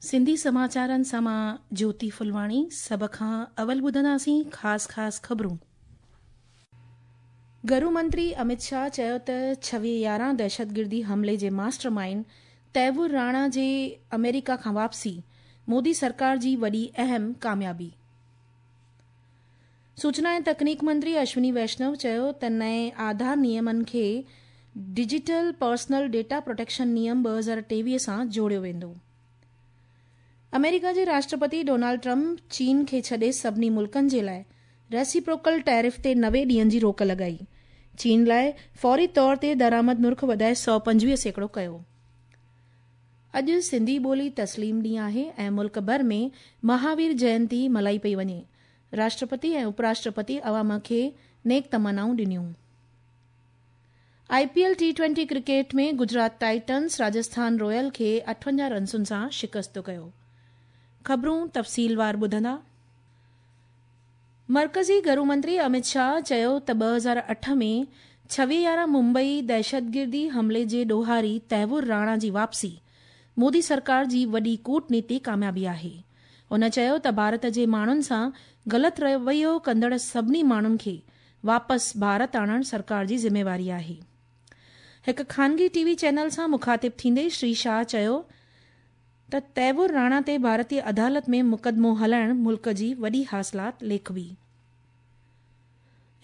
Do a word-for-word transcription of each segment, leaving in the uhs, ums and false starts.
سنڌي سماچارن سان مان جيوتي ڦلواڻي. سڀ کان اول ٻڌنداسين خاص خاص خبرون. گهرو منتري امت شاهه چيو ته ڇويهه يارهن دهشتگردي حملي جي ماسٽر مائينڊ تهوور راڻا جي آمريڪا کان واپسي مودي سرڪار جي وڏي اهم ڪاميابي. سوچنا ۽ تڪنيڪ منتري اشوني ويشنو چيو ته نئين آڌار نيمن کي ڊجيٽل پرسنل ڊيٽا پروٽيڪشن نيم ٻه هزار ٽيويهه سان جوڙيو ويندو. آمريڪا جي راشٽرپتي ڊونالڊ ٽرمپ چين کي ڇڏي سڀني ملڪن جي لاء ريسيپروڪل ٽيرف تي نوي ڏينهن جي روڪ لڳائي. چين لاء فوري طور تي درآمد نرخ وڌائي سؤ پنجويهه سيڪڙو ڪيو. اڄ سنڌي ٻولي تسليم ڏينهن آهي ۽ ملڪ ڀر ۾ مهاوير جينتي ملهائي پئي وڃي. راشٽرپتي ۽ اپراشٽرپتي عوام کي نيڪ تمنائون ڏنيون. I P L T twenty cricket ۾ Gujarat Titans Rajasthan Royal کي اٺونجاهه رنسن سان شڪست ڪيو. خبرون تفصيلوار ٻڌندا. مرڪزي گهرو منتري امت شاهه چيو ته ٻه هزار اٺ ۾ ڇويهه يارهن ممبئي دهشتگردي حملي جي ڏوهاري تهوور راڻا جي واپسي مودي سرڪار جي وڏي ڪوٽنيتي ڪاميابي آهي. هن چيو ته ڀارت جي ماڻهن سان غلط رويو ڪندڙ سڀني ماڻهن کي واپس ڀارت آڻڻ سرڪار جي ذميواري آهي. هڪ خانگي ٽي وي چينل سان مخاطب ٿيندي شري شاهه چيو ته تهوور راڻا تي ڀارتي عدالت ۾ مقدمو هلائڻ ملڪ جي وڏي حاصلات ليکبي.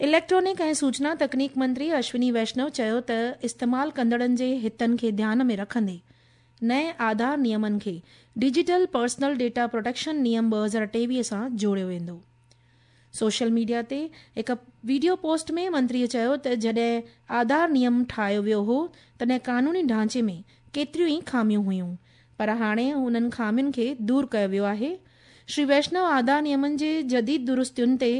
اليڪٽرانڪ ۽ سوچنا تڪنيڪ منتري اشوني ويشنو چيو ته استعمال ڪندڙن جي هتن کي ڌيان ۾ رکندي نئين آڌار نيمن کي ڊجيٽل پرسنل ڊيٽا پروٽيڪشن نيم ٻه هزار ٽيويهه سان جوڙيو ويندو. سوشل ميڊيا تي هڪ وڊيو پوسٽ ۾ منتريءَ چيو ته جڏهن آڌار نيم ٺاهيو ويو هو تڏهن قانوني ڍانچي ۾ ڪيتريون ئي خاميون هيون، پر هاڻي انهن خامين کي دور ڪيو ويو آهي. شري ويشنو آڌار نيمن جي جديد درستين تي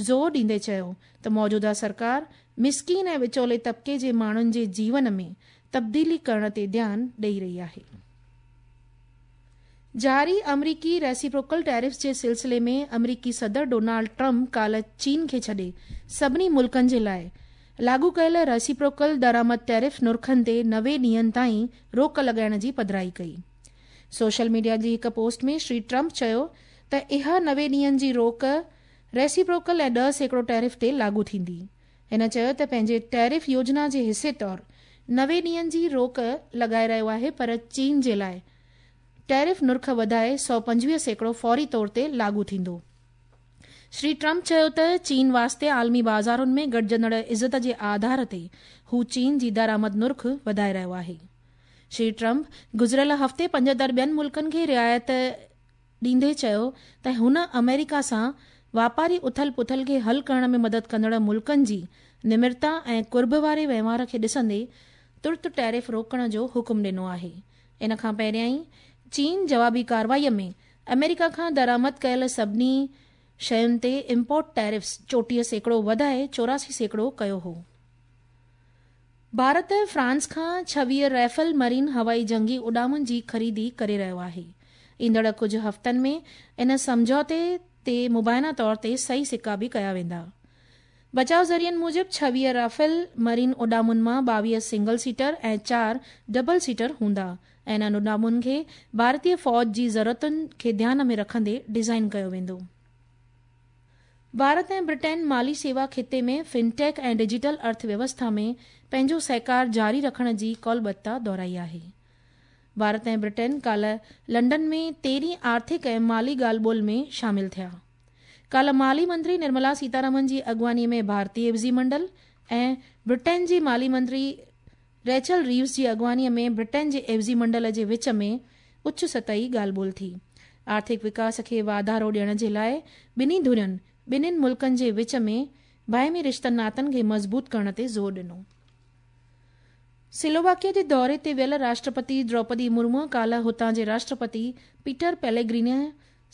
زور ڏيندي چيو ته موجوده سرڪار مسڪين ۽ وچولي طبقي جي ماڻهن جي جيون ۾ تبديلي ڪرڻ تي ڌيان ڏئي رهي آهي. جاري آمريڪي ريسيپروڪل ٽيرفس جي سلسلي ۾ آمريڪي صدر ڊونالڊ ٽرمپ ڪالهه چين کي ڇڏي سڀني ملڪن جي لاءِ لاڳو ڪيل ريسيپروڪل درآمد ٽيرف نرخن تي نوي ڏينهن تائين روڪ لڳائڻ جي پڌرائي ڪئي. سوشل ميڊيا جي هڪ پوسٽ ۾ شري ٽرمپ چيو ته اها نوي ڏينهن جي روڪ ريسيپروڪل ۽ ڏهه سيڪڙو ٽيرف تي لاڳو ٿيندي. هن چيو ته پنهنجي ٽيرف يوجنا جي حصي طور نوي ڏينهن جي روڪ لڳائي رهيو آهي، پر چين جي لاءِ ٽيرف نرخ وڌائي سؤ پنجويهه سيڪڙو فوري طور تي لاڳو ٿيندو. شري ٽرمپ چيو ته چين واسطي عالمي بازارن ۾ گهٽجندڙ عزت جي آڌار تي هو چين جي درآمد نرخ وڌائي رهيو آهي. شري ٽرمپ گذريل هفتي پنجهتر ٻين ملڪن کي رعايت ڏيندي چيو ته هن آمريڪا سان واپاري اٿل پٿل کي حل ڪرڻ ۾ مدد ڪندڙ ملڪن جي نمرتا ۽ قرب واري وهنوار کي ڏسندي ترت ٽيرف روڪڻ جو حڪم ڏنو آهي. ان کان پهريائين چين جوابي ڪارروائيءَ ۾ آمريڪا کان درآمد ڪيل سڀني شين تي امپورٽ ٽيرفس چوٽيهه سيڪڙو وڌائي چوراسي سيڪڙو ڪيو هو. ڀارت فرانس کان ڇويهه رائفل مرين هوائي جنگي اڏامن جي خريدي ڪري رهيو آهي. ايندڙ ڪجهه هفتن ۾ ان سمجهوتي تي مبينا طور تي صحيح سڪا به ڪيا ويندا. بچاءُ ذريعن موجب ڇويهه رافيل مرين اڏامن مان ٻاويهه سنگل سيٽر ۽ چار ڊبل سيٽر هوندا ۽ انهن اڏامن کي ڀارتيه فوج جي ضرورتن کي ڌيان ۾ رکندي ڊزائين ڪيو ويندو. ڀارت ۽ برٽين مالي سيوا خطي ۾ فنٽيڪ ۽ ڊجيٽل ارٿويوسٿا ۾ پنهنجو سهڪار جاري رکڻ جي ڪالبتا دهرائي آهي. ڀارت ۽ برٽين ڪالهه لنڊن ۾ تيرهين آرٿڪ ۽ مالي ڳالهه ٻولهه ۾ شامل ٿيا. ڪالهه مالي منتري نرملا سيتارامن جي اڳواڻيءَ ۾ ڀارتيه عيوضي منڊل ۽ برٽين جي مالي منتري ريچل ريوز جي اڳواڻيءَ ۾ برٽين جي عيوضي منڊل جي وچ ۾ اچ سطحي ڳالهه ٻولهه ٿي. آرٿڪ وڪاس کي واڌارو ڏيڻ جي لاءِ ٻنهي ڌرين ٻنهي ملڪن جي وچ ۾ باهمي رشتن ناتن کي مضبوط ڪرڻ تي زور ڏنو. سلوواڪيا جي دوري تي ويل راشٽرپتي دروپدي مرمو ڪالهه هتان جي راشٽرپتي پيٽر پيليگريني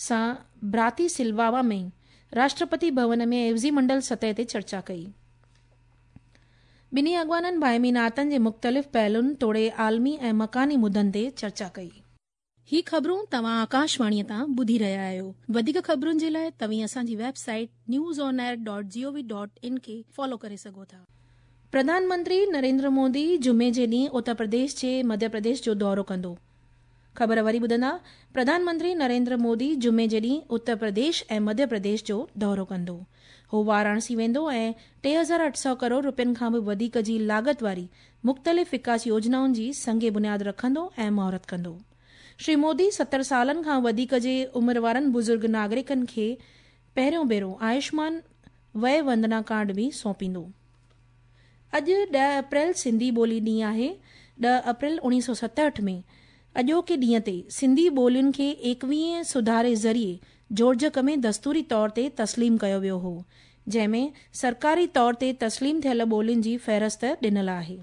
سان براتيسلواوا ۾ راشٽرپتي ڀون ۾ عيوضي منڊل سطح تي چرچا ڪئي. ٻنهي اڳواڻن باهمي ناتن جي مختلف پهلن توڙي عالمي ۽ مڪاني مدن تي چرچا ڪئي. هي خبرون توهان آڪاشواڻيءَ تان ٻڌي رهيا آهيو. وڌيڪ خبرن جي لاءِ توهين اسان جي website news on air dot G O V dot in کي فالو ڪري سگهو ٿا. پرڌان منتري نريندر مودي جمعي جي ڏينهن اتر پرديش جي مڌيه پرديش جو دورو ڪندو. خبر وري ٻڌندا، پرڌان منتري نريندر مودي جمعي جي ڏينهن اتر پرديش ۽ مڌيه پرديش جو دورو ڪندو. هو واراڻسي ويندو ۽ ٽي هزار اٺ سؤ ڪروڙ رپين کان به وڌيڪ جي لاڳت واري مختلف وڪاس يوجنائن جي سنگ بنياد رکندو ۽ مهورت ڪندو. شري مودي ستر سالن کان وڌيڪ جي عمر وارن بزرگ ناگرڪن کي پهريون ڀيرو آيوشمان وي وندنا ڪارڊ به سونپيندو. اڄ ڏهه اپريل سنڌي ٻولي ڏينهن آهي. ڏهه اپريل اڻويهه سؤ ستهٺ ۾ اڄوڪي ڏينهن تي سنڌي ٻولين کي ايڪويهين سڌاري ذريعي جوڙجڪ ۾ دستوري طور تي تسليم ڪيو ويو هو، جنهن ۾ سرڪاري طور تي تسليم ٿيل ٻولين جي فهرست ڏنل آهي.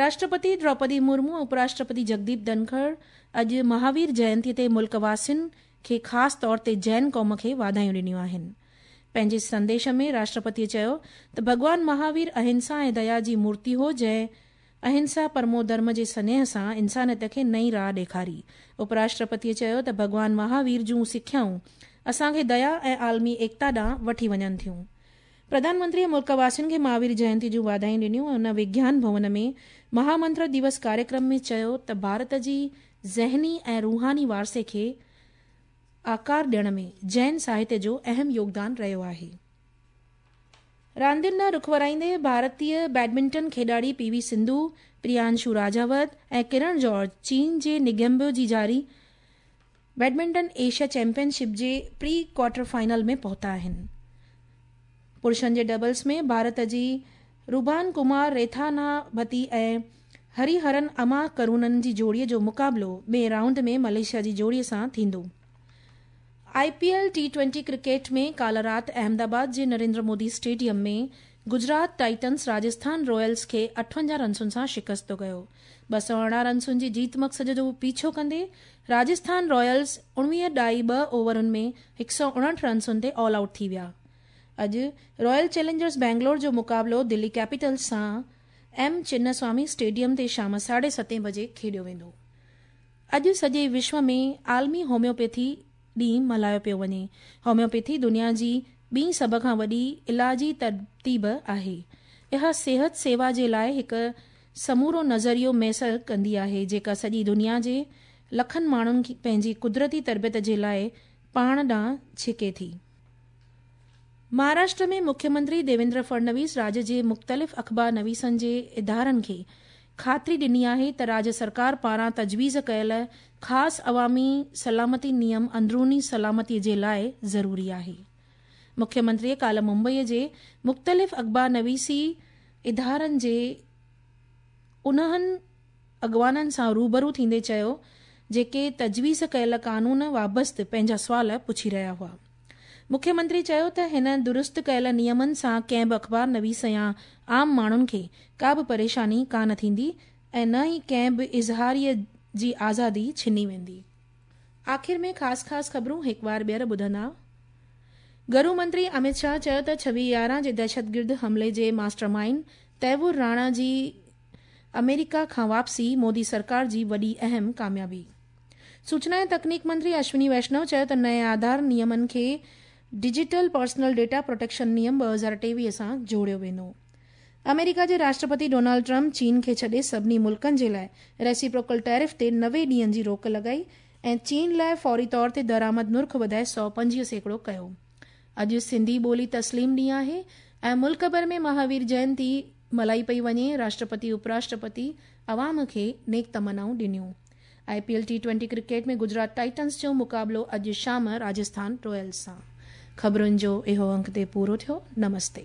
راشٽرپتي دروپدي مرمو ۽ اپراشٽرپتي جگديپ ڌنکڙ اڄ مهاوير جينتي تي ملڪ واسين کي خاص طور تي جين قوم کي واڌايون ڏنيون آهن. پنهنجي سنديش ۾ راشٽرپتيء چيو ته ڀڳوان مهاوير اهنسا ۽ ديا جي مورتي هو، جنهن اهنسا پرمو ڌرم جي سنيهه سان انسانيت کي نئين راهه ڏيکاري. اپراشٽرپتيء چيو ته ڀڳوان مهاوير جون سکيائون اسان کي ديا ۽ عالمي ايڪتا ڏانهن وٺي وڃن ٿيون. پرڌان منتريء ملڪ واسين کي مهاوير جينتي جون واڌايون ڏنيون ۽ هن وگيان ڀون ۾ مهامنتر دوس ڪاريڪرم ۾ چيو ته ڀارت جي ذهني ۽ روحاني وارثي کي آڪار ڏيڻ ۾ جين ساهتيه جو اهم يوگدان رهيو آهي. راندين ڏانهن رخ ورائيندي ڀارتي بيڊمنٽن کيڏاڙي پي وي سنڌو، پريانشو راجاوت ۽ ڪرڻ جارج چين جي نگيمبو جي جاري بيڊمنٽن ايشيا چيمپيئن شپ جي پري ڪوارٽر فائنل ۾ پهتا آهن. پرشن جي ڊبلز ۾ ڀارت جي روبان ڪمار ريٿاناڀتي ۽ هري هرن اما ڪرونن جي جوڙي جو مقابلو ٻئين رائونڊ ۾ ملائيشيا جي جوڙي سان ٿيندو. I P L T twenty cricket ۾ ڪالهه رات احمدآباد جي Narendra Modi stadium ۾ Gujarat Titans Rajasthan Ryles کي اٺونجاهه رنسن سان شڪست ڪيو. ٻه سؤ ارڙهن رنسن جي جيت مقصد جو پيڇو ڪندي راجسٿان رائلز اڻويهه ڏائي ٻه اوورن ۾ هڪ سؤ اڻهٺ رنسن تي آل آئوٽ ٿي ويا. اڄ رائل چئلينجرز بينگلور جو مقابلو دلي ڪيپيٽلز سان ايم چناسوامي اسٽيڊيم تي شام ساڍي ستين بجي کيڏيو ويندو. اڄ سڄي وشو ۾ عالمي هوميوپيٿي ڏينهن ملهايو پيو وڃي. هوميوپيٿي دنيا جي ٻي سڀ کان وڏي علاجي ترتيب آهي. اها صحت سيوا جي لاءِ هڪ سمورو نظريو ميسر ڪندي آهي، جيڪا سڄي دنيا جي لکن ماڻهن کي پنهنجي قدرتي تربيت جي لاءِ پاڻ ڏانهن ڇڪي ٿي. مهاراشٽر ۾ مکيه منتري ديويندر فڙنويس راجيه جي مختلف اخبار نويسن جي ادارن کي خاطري ڏني آهي ته راجيه سرڪار پاران تجويز ڪيل خاص عوامي سلامتي نيم اندروني سلامتي جي لاءِ ضروري آهي. مکيه منتريءَ ڪالهه ممبئي جي مختلف اخبار نويسي ادارن جي انهن اڳواڻن سان روبرو ٿيندي چيو، جيڪي تجويز ڪيل قانون وابسته پنهنجا سوال پڇي رهيا هئا. مکيه منتري چيو ته هن درست ڪيل نيمن سان ڪنهن به اخبار نويس يا عام ماڻهن کي ڪا به پريشاني ڪانه ٿيندي ۽ نه ئي ڪنهن به اظهاريءَ جي آزادي ڇني ويندي. آخر ۾ خاص خاص خبرون هڪ بار ٻيهر ٻڌندا. گهرو منتري امت شاهه چيو ته ڇويهه يارهن جي دهشتگرد حملي جي ماسٽر مائينڊ تهوور راڻا جي آمريڪا کان واپسي مودي سرڪار جي وڏي اهم ڪاميابي. سوچنا ۽ تڪنيڪ منتري اشوني ويشنو چيو ته نئين آڌار نيمن کي ڊجيٽل پرسنل ڊيٽا پروٽيڪشن نيم ٻه هزار ٽيويهه سان جوڙيو ويندو. آمريڪا جي راشٽرپتي ڊونالڊ ٽرمپ چين کي ڇڏي سڀني ملڪن جي لاءِ ريسيپروڪل ٽيرف تي نوي ڏينهن جي روڪ لڳائي ۽ چين لاءِ فوري طور تي درآمد نرخ وڌائي سؤ پنجويهه سيڪڙو ڪيو. اڄ سنڌي ٻولي تسليم ڏينهن آهي ۽ ملڪ ڀر ۾ مهاوير جينتي ملهائي پئي وڃي. راشٽرپتي اپراشٽرپتي عوام کي نيڪ تمنائون ڏنيون. I P L T twenty cricket ۾ Gujarat Titans جو مقابلو اڄ شام راجسٿان رائلز سان. خبرن جو اهو انڪ تي پورو ٿيو. نمستي.